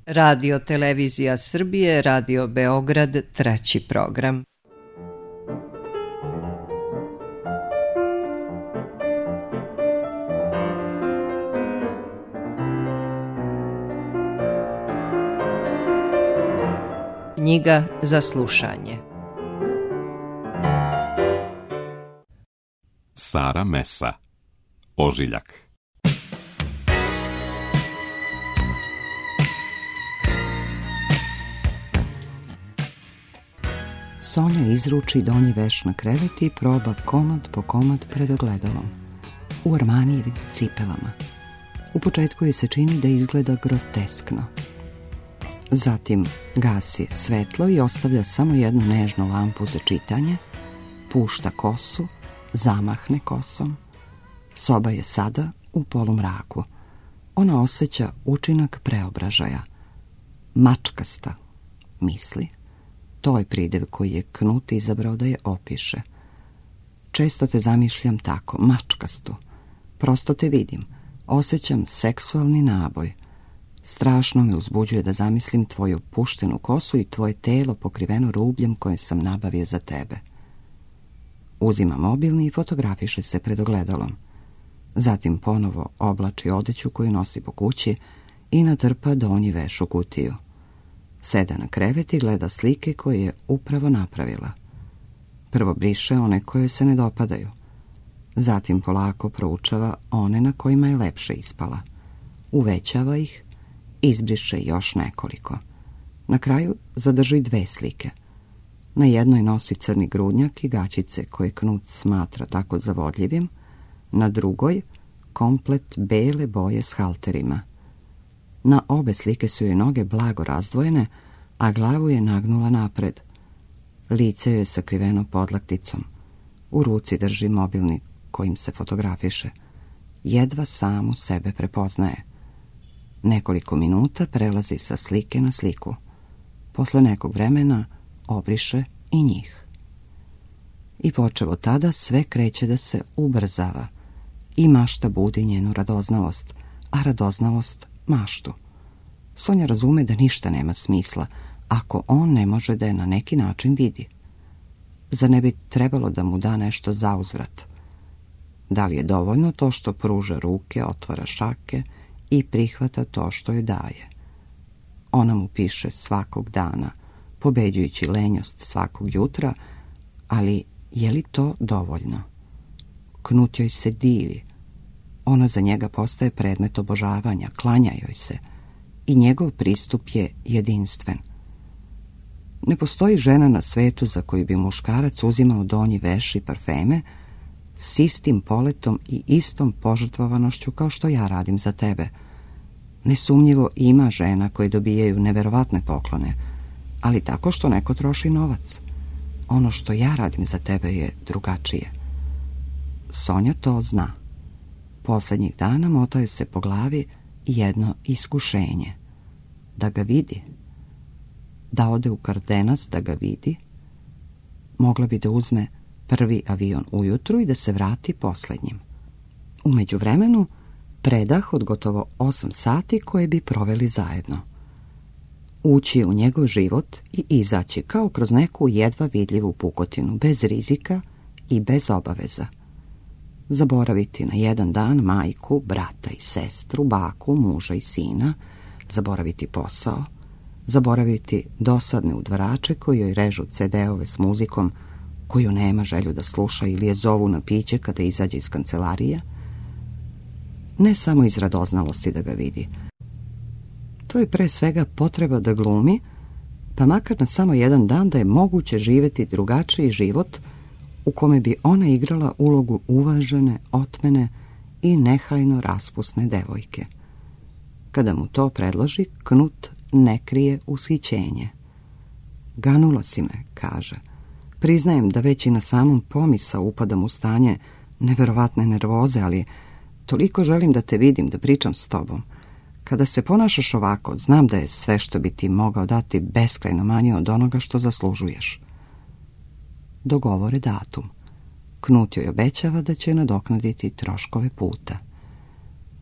Radio Televizija Srbije, Radio Beograd, treći program. Knjiga za slušanje. Sara Mesa, Ožiljak. Sonja izruči donji veš na krevet i proba komad po komad pred ogledalom. U Armanijevim cipelama. U početku joj se čini da izgleda groteskno. Zatim gasi svetlo i ostavlja samo jednu nežnu lampu za čitanje, pušta kosu, zamahne kosom. Soba je sada u polumraku. Ona osjeća učinak preobražaja. Mačkasta, misli. To je pridev koji je Knut izabrao da je opiše. Često te zamišljam tako, mačkastu. Prosto te vidim, osjećam seksualni naboj. Strašno me uzbuđuje da zamislim tvoju puštenu kosu i tvoje telo pokriveno rubljem koje sam nabavio za tebe. Uzima mobilni i fotografiše se pred ogledalom. Zatim ponovo oblači odeću koju nosi po kući i natrpa donji veš u kutiju. Seda na krevet i gleda slike koje je upravo napravila. Prvo briše one koje se ne dopadaju. Zatim polako proučava one na kojima je lepše ispala. Uvećava ih, izbriše još nekoliko. Na kraju zadrži 2 slike. Na jednoj nosi crni grudnjak i gaćice koje Knut smatra tako zavodljivim, na drugoj komplet bele boje s halterima. Na obe slike su joj noge blago razdvojene, a glavu je nagnula napred. Lice joj je sakriveno podlakticom. U ruci drži mobilni kojim se fotografiše. Jedva samu sebe prepoznaje. Nekoliko minuta prelazi sa slike na sliku. Posle nekog vremena obriše i njih. I počev od tada sve kreće da se ubrzava. I mašta budi njenu radoznalost, a radoznalost maštu. Sonja razume da ništa nema smisla ako on ne može da je na neki način vidi. Zar ne bi trebalo da mu da nešto zauzvrat? Da li je dovoljno to što pruža ruke, otvara šake i prihvata to što joj daje? Ona mu piše svakog dana, pobeđujući lenjost svakog jutra, ali je li to dovoljno? Knut joj se divi. Ona za njega postaje predmet obožavanja, klanja joj se i njegov pristup je jedinstven. Ne postoji žena na svetu za koju bi muškarac uzimao donji veš i parfeme s istim poletom i istom požrtvovanošću kao što ja radim za tebe. Nesumnjivo ima žena koje dobijaju neverovatne poklone, ali tako što neko troši novac. Ono što ja radim za tebe je drugačije. Sonja to zna. Poslednjih dana motaju se po glavi jedno iskušenje. Da ga vidi. Da ode u Kardenas da ga vidi. Mogla bi da uzme prvi avion ujutru i da se vrati poslednjim. U međuvremenu predah od gotovo 8 sati koje bi proveli zajedno. Ući u njegov život i izaći kao kroz neku jedva vidljivu pukotinu, bez rizika i bez obaveza. Zaboraviti na jedan dan majku, brata i sestru, baku, muža i sina, zaboraviti posao, zaboraviti dosadne udvarače koji joj režu CD-ove s muzikom koju nema želju da sluša ili je zovu na piće kada izađe iz kancelarije. Ne samo iz radoznalosti da ga vidi. To je pre svega potreba da glumi, pa makar na samo jedan dan da je moguće živjeti drugačiji život u kome bi ona igrala ulogu uvažene, otmene i nehajno raspusne devojke. Kada mu to predloži, Knut ne krije ushićenje. Ganula si me, kaže. Priznajem da već i na samom pomisao upadam u stanje neverovatne nervoze, ali toliko želim da te vidim, da pričam s tobom. Kada se ponašaš ovako, znam da je sve što bi ti mogao dati beskrajno manje od onoga što zaslužuješ. Dogovore datum. Knut joj obećava da će nadoknaditi troškove puta.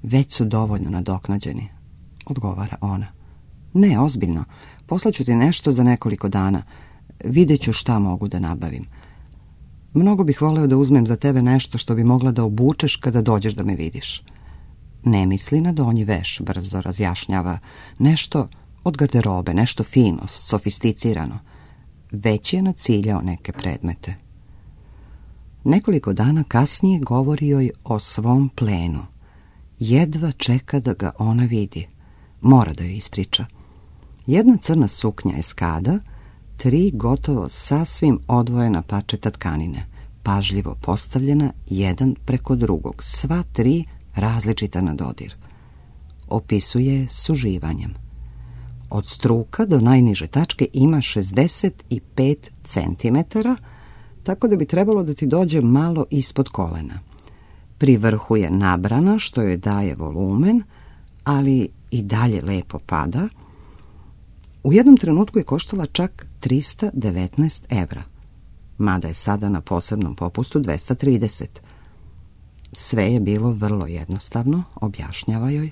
Već su dovoljno nadoknađeni, odgovara ona. Ne, ozbiljno. Poslaću ti nešto za nekoliko dana. Vidjet ću šta mogu da nabavim. Mnogo bih voleo da uzmem za tebe nešto što bi mogla da obučeš kada dođeš da me vidiš. Ne misli na donji veš, brzo razjašnjava. Nešto od garderobe, nešto fino, sofisticirano. Već je naciljao neke predmete. Nekoliko dana kasnije govori joj o svom plenu. Jedva čeka da ga ona vidi. Mora da joj ispriča. Jedna crna suknja eskada, 3 gotovo sasvim odvojena pačeta tkanine, pažljivo postavljena jedan preko drugog, sva 3 različita na dodir. Opisuje s uživanjem. Od struka do najniže tačke ima 65 centimetara, tako da bi trebalo da ti dođe malo ispod kolena. Pri vrhu je nabrana, što joj daje volumen, ali i dalje lepo pada. U jednom trenutku je koštala čak 319 evra, mada je sada na posebnom popustu 230. Sve je bilo vrlo jednostavno, objašnjava joj,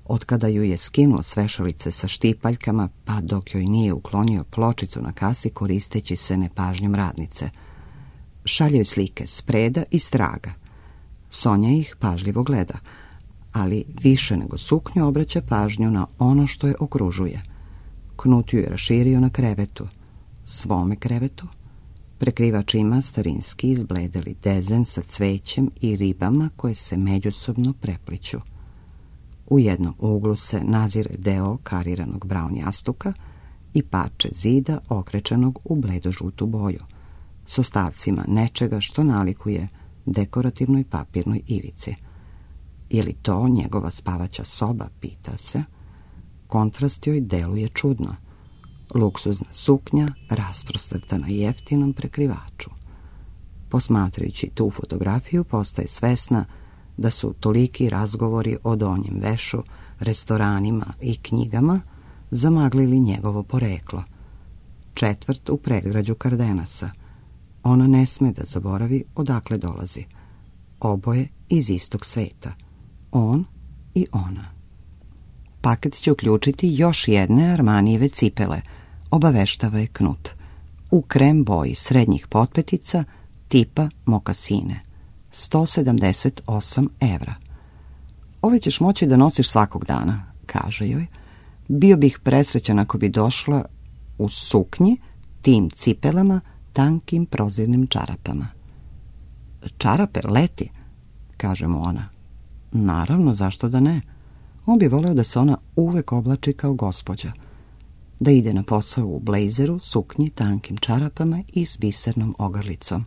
otkada ju je skinuo s vešalice sa štipaljkama, pa dok joj nije uklonio pločicu na kasi koristeći se nepažnjom radnice. Šalje joj slike s preda i straga. Sonja ih pažljivo gleda, ali više nego suknju obraća pažnju na ono što je okružuje. Knut ju je raširio na krevetu, svome krevetu. Prekrivač ima starinski izbledeli dezen sa cvećem i ribama koje se međusobno prepliću. U jednom uglu se nazire deo kariranog braun jastuka i parče zida okrečenog u bledožutu boju, s ostacima nečega što nalikuje dekorativnoj papirnoj ivici. Je li to njegova spavaća soba, pita se. Kontrast joj deluje čudno. Luksuzna suknja rasprostrta na jeftinom prekrivaču. Posmatrajući tu fotografiju postaje svesna da su toliki razgovori o donjem vešu, restoranima i knjigama zamaglili njegovo poreklo. Četvrt u predgrađu Kardenasa. Ona ne sme da zaboravi odakle dolazi. Oboje iz istog sveta. On i ona. Paket će uključiti još jedne Armanijeve cipele, obaveštava je Knut. U krem boji srednjih potpetica tipa mokasine. 178 evra. Ove ćeš moći da nosiš svakog dana, kaže joj. Bio bih presrećan ako bi došla u suknji, tim cipelama, tankim prozirnim čarapama. Čarape, leti, kaže mu ona. Naravno, zašto da ne? On bi voleo da se ona uvek oblači kao gospođa. Da ide na posao u blejzeru, suknji, tankim čarapama i s bisernom ogrlicom.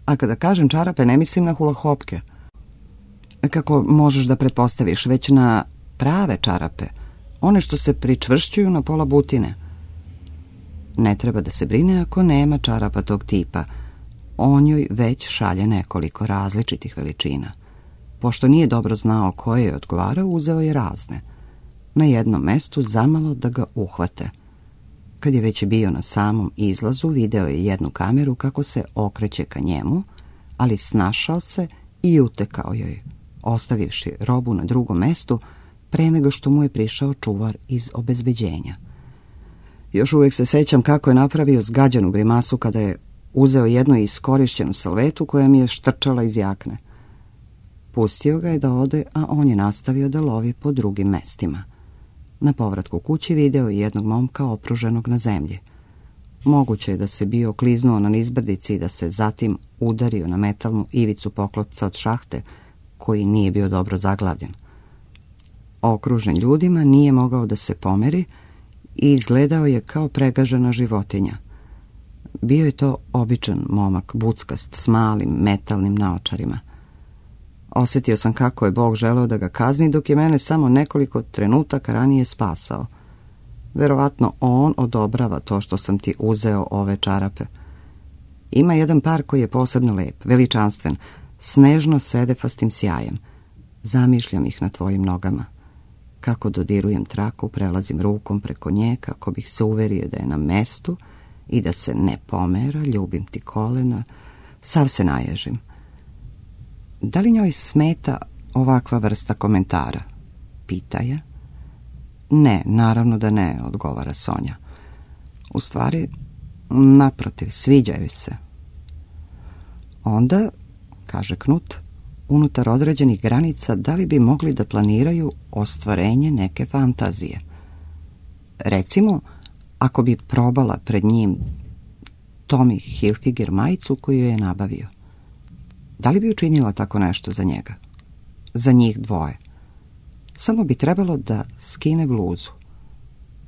A kada kažem čarape, ne mislim na hulahopke. Kako možeš da pretpostaviš, već na prave čarape, one što se pričvršćuju na pola butine. Ne treba da se brine ako nema čarapa tog tipa. On joj već šalje nekoliko različitih veličina. Pošto nije dobro znao koje je odgovarao, uzeo je razne. Na jednom mestu zamalo da ga uhvate. Kad je već bio na samom izlazu, video je jednu kameru kako se okreće ka njemu, ali snašao se i utekao joj, ostavivši robu na drugom mestu pre nego što mu je prišao čuvar iz obezbeđenja. Još uvijek se sećam kako je napravio zgađenu grimasu kada je uzeo jednu iskorišćenu salvetu koja mi je štrčala iz jakne. Pustio ga je da ode, a on je nastavio da lovi po drugim mestima. Na povratku kući video je jednog momka opruženog na zemlji. Moguće je da se bio kliznuo na nizbrdici i da se zatim udario na metalnu ivicu poklopca od šahte, koji nije bio dobro zaglavljen. Okružen ljudima, nije mogao da se pomeri i izgledao je kao pregažena životinja. Bio je to običan momak, buckast, s malim metalnim naočarima. Osjetio sam kako je Bog želeo da ga kazni, dok je mene samo nekoliko trenutaka ranije spasao. Verovatno on odobrava to što sam ti uzeo ove čarape. Ima jedan par koji je posebno lep, veličanstven, snežno sedefastim sjajem. Zamišljam ih na tvojim nogama. Kako dodirujem traku, prelazim rukom preko nje kako bih se uverio da je na mestu i da se ne pomera, ljubim ti kolena, sav se naježim. Da li njoj smeta ovakva vrsta komentara? Pita je. Ne, naravno da ne, odgovara Sonja. U stvari, naprotiv, sviđaju se. Onda, kaže Knut, unutar određenih granica da li bi mogli da planiraju ostvarenje neke fantazije. Recimo, ako bi probala pred njim Tommy Hilfiger majicu koju je nabavio. Da li bi učinila tako nešto za njega? Za njih dvoje. Samo bi trebalo da skine bluzu.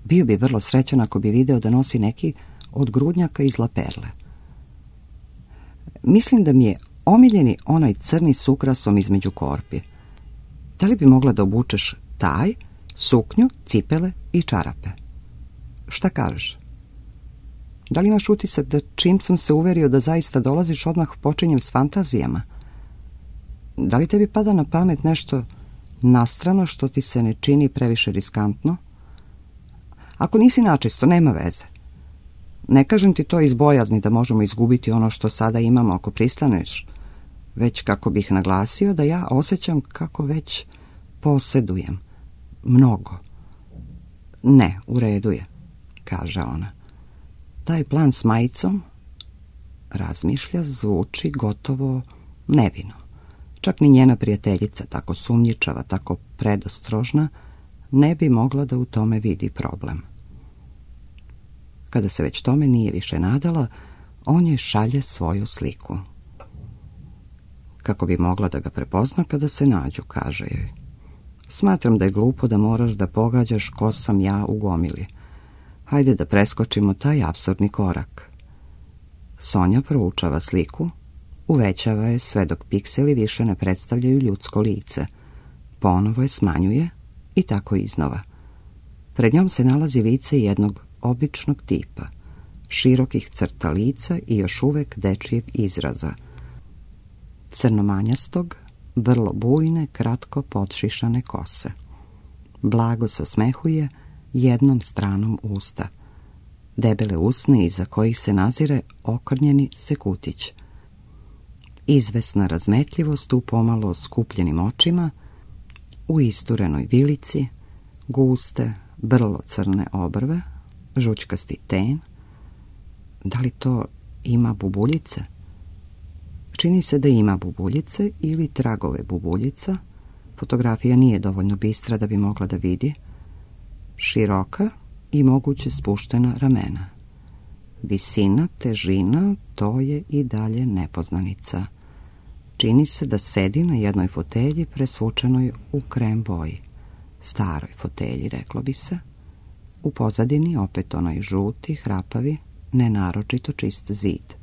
Bio bi vrlo srećan ako bi video da nosi neki od grudnjaka iz laperle. Mislim da mi je omiljeni onaj crni s ukrasom između korpi. Da li bi mogla da obučeš taj, suknju, cipele i čarape? Šta kažeš? Da li imaš utisak da čim sam se uverio da zaista dolaziš, odmah počinjem s fantazijama? Da li tebi pada na pamet nešto nastrano što ti se ne čini previše riskantno? Ako nisi načisto, nema veze. Ne kažem ti to iz bojazni da možemo izgubiti ono što sada imamo ako pristaneš, već kako bih naglasio da ja osjećam kako već posjedujem. Mnogo. Ne, u redu je, kaže ona. Taj plan s majicom, razmišlja, zvuči gotovo nevino. Čak ni njena prijateljica, tako sumnjičava, tako predostrožna, ne bi mogla da u tome vidi problem. Kada se već tome nije više nadala, on joj šalje svoju sliku. Kako bi mogla da ga prepozna kada se nađu, kaže joj. Smatram da je glupo da moraš da pogađaš ko sam ja u gomili. Hajde da preskočimo taj apsurdni korak. Sonja proučava sliku, uvećava je sve dok pikseli više ne predstavljaju ljudsko lice. Ponovo je smanjuje i tako iznova. Pred njom se nalazi lice jednog običnog tipa, širokih crta lica i još uvek dečijeg izraza. Crnomanjastog, vrlo bujne, kratko podšišane kose. Blago se osmehuje jednom stranom usta. Debele usne iza kojih se nazire okrnjeni sekutić. Izvesna razmetljivost u pomalo skupljenim očima, u isturenoj vilici, guste, vrlo crne obrve, žućkasti ten. Da li to ima bubuljice? Čini se da ima bubuljice ili tragove bubuljica. Fotografija nije dovoljno bistra da bi mogla da vidi. Široka i moguće spuštena ramena. Visina, težina, to je i dalje nepoznanica. Čini se da sedi na jednoj fotelji presvučenoj u krem boji. Staroj fotelji, reklo bi se. U pozadini opet onaj žuti, hrapavi, nenaročito čist zid.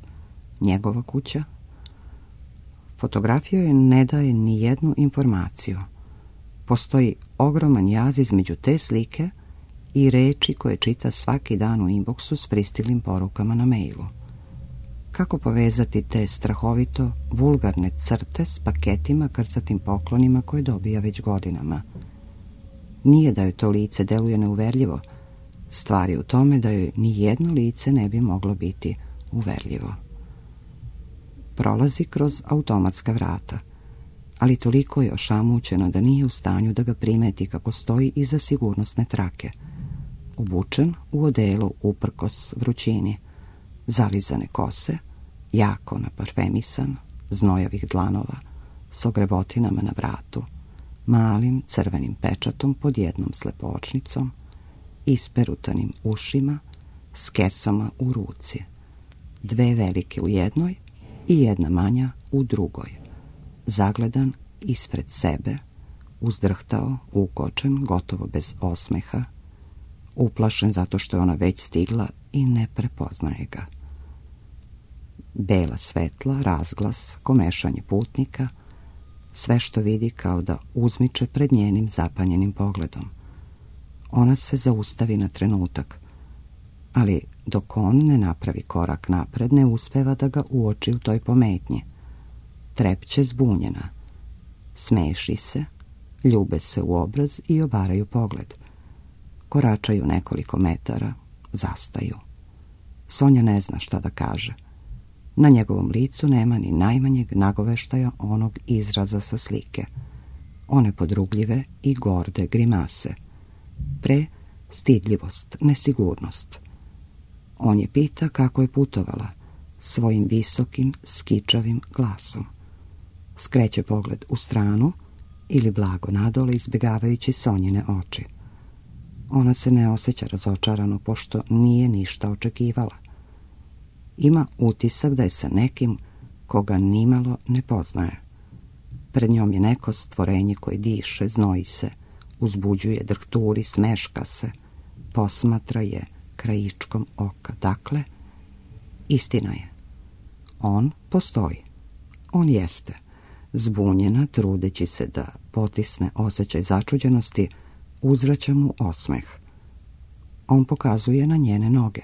Njegova kuća. Fotografija joj ne daje ni jednu informaciju. Postoji ogroman jaz između te slike i reči koje čita svaki dan u inboxu s pristiglim porukama na mailu. Kako povezati te strahovito vulgarne crte s paketima krcatim poklonima koje dobija već godinama? Nije da joj to lice deluje neuverljivo. Stvar je u tome da joj ni jedno lice ne bi moglo biti uverljivo. Prolazi kroz automatska vrata, ali toliko je ošamućena da nije u stanju da ga primeti kako stoji iza sigurnosne trake. Obučen u odelu uprkos vrućini, zalizane kose, jako naparfemisan, znojavih dlanova, s ogrebotinama na vratu, malim crvenim pečatom pod jednom slepočnicom, isperutanim ušima, s kesama u ruci, dve velike u jednoj i jedna manja u drugoj, zagledan ispred sebe, uzdrhtao, ukočen, gotovo bez osmeha, uplašen zato što je ona već stigla i ne prepoznaje ga. Bela svetla, razglas, komešanje putnika, sve što vidi kao da uzmiče pred njenim zapanjenim pogledom. Ona se zaustavi na trenutak, ali dok on ne napravi korak napred, ne uspeva da ga uoči u toj pometnji. Trepće zbunjena. Smeši se, ljube se u obraz i obaraju pogled. Koračaju nekoliko metara, zastaju. Sonja ne zna šta da kaže. Na njegovom licu nema ni najmanjeg nagoveštaja onog izraza sa slike. One podrugljive i gorde grimase. Pre, stidljivost, nesigurnost. On je pita kako je putovala, svojim visokim, skičavim glasom. Skreće pogled u stranu ili blago nadole izbjegavajući Sonjine oči. Ona se ne osjeća razočarano, pošto nije ništa očekivala. Ima utisak da je sa nekim koga nimalo ne poznaje. Pred njom je neko stvorenje koje diše, znoji se, uzbuđuje, drhturi, smeška se, posmatra je krajičkom oka. Dakle, istina je. On postoji. On jeste. Zbunjena, trudeći se da potisne osjećaj začuđenosti, uzvraća mu osmeh. On pokazuje na njene noge.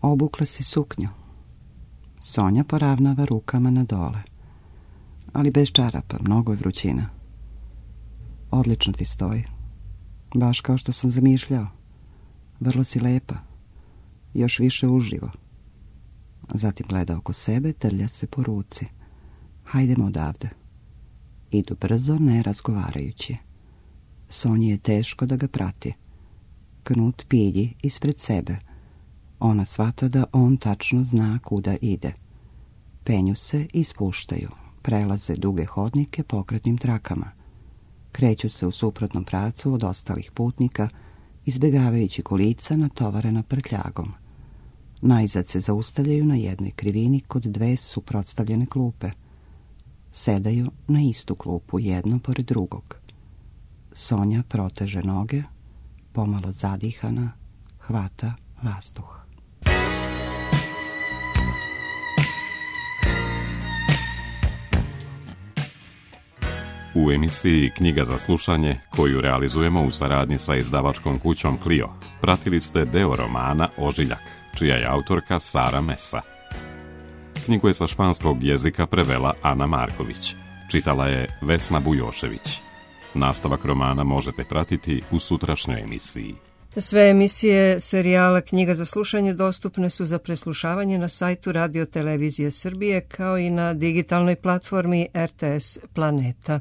Obukla si suknju. Sonja poravnava rukama na dole. Ali bez čarapa, mnogo je vrućina. Odlično ti stoji. Baš kao što sam zamišljao. Vrlo si lepa. Još više uživo. Zatim gleda oko sebe, trlja se po ruci. Hajdemo odavde. Idu brzo, ne razgovarajući. Sonji je teško da ga prati. Knut pilji ispred sebe. Ona shvata da on tačno zna kuda ide. Penju se i spuštaju. Prelaze duge hodnike pokretnim trakama. Kreću se u suprotnom pravcu od ostalih putnika, izbjegavajući kolica natovarena prtljagom. Najzad se zaustavljaju na jednoj krivini kod dve suprotstavljene klupe. Sedaju na istu klupu, jedno pored drugog. Sonja proteže noge, pomalo zadihana, hvata vazduh. U emisiji Knjiga za slušanje, koju realizujemo u saradnji sa izdavačkom kućom Clio, pratili ste deo romana Ožiljak, čija je autorka Sara Mesa. Knjigu je sa španskog jezika prevela Ana Marković. Čitala je Vesna Bujošević. Nastavak romana možete pratiti u sutrašnjoj emisiji. Sve emisije serijala Knjiga za slušanje dostupne su za preslušavanje na sajtu Radio Televizije Srbije kao i na digitalnoj platformi RTS Planeta.